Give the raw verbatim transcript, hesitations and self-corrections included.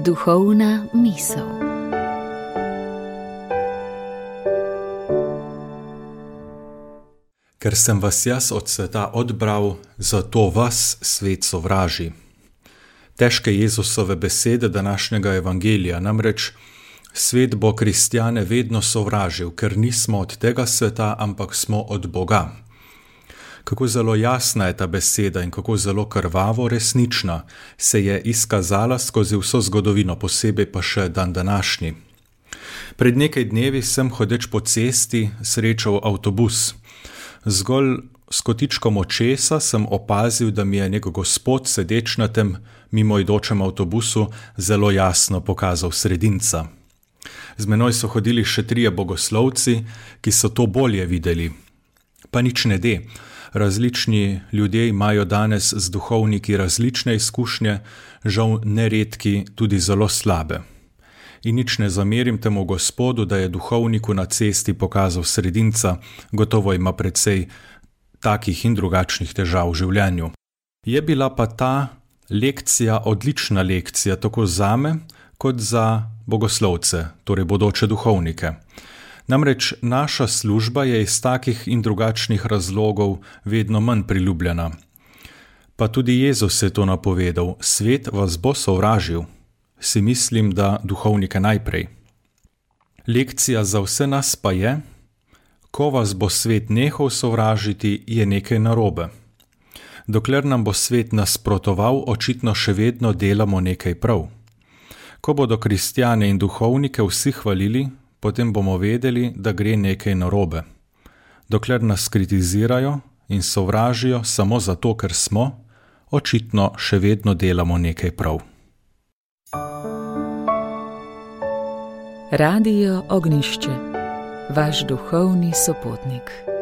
Duhovna misel. Ker sem vas jaz od sveta odbral, zato vas svet sovraži. Težke Jezusove besede današnjega evangelija, namreč svet bo kristjane vedno sovražil, ker nismo od tega sveta, ampak smo od Boga. Kako zelo jasna je ta beseda in kako zelo krvavo resnična se je izkazala skozi vso zgodovino, posebej pa še dan današnji. Pred nekaj dnevi sem hodeč po cesti srečal avtobus. Zgolj s kotičkom očesa sem opazil, da mi je nek gospod sedeč na tem mimoidočem avtobusu zelo jasno pokazal sredinca. Z menoj so hodili še trije bogoslovci, ki so to bolje videli. Pa nič ne de. Različni ljudje imajo danes z duhovniki različne izkušnje, žal neredki tudi zelo slabe. In nič ne zamerim temu gospodu, da je duhovniku na cesti pokazal sredinca, gotovo ima precej takih in drugačnih težav v življenju. Je bila pa ta lekcija odlična lekcija, tako zame kot za bogoslovce, torej bodoče duhovnike. Namreč naša služba je iz takih in drugačnih razlogov vedno manj priljubljena. Pa tudi Jezus je to napovedal, svet vas bo sovražil. Si mislim, da duhovnike najprej. Lekcija za vse nas pa je, ko vas bo svet nehal sovražiti, je nekaj narobe. Dokler nam bo svet nasprotoval, očitno še vedno delamo nekaj prav. Ko bodo kristjane in duhovnike vsi hvalili, potem bomo vedeli, da gre nekaj narobe. Dokler nas kritizirajo in sovražijo samo zato, ker smo, očitno še vedno delamo nekaj prav. Radio Ognjišče, vaš duhovni sopotnik.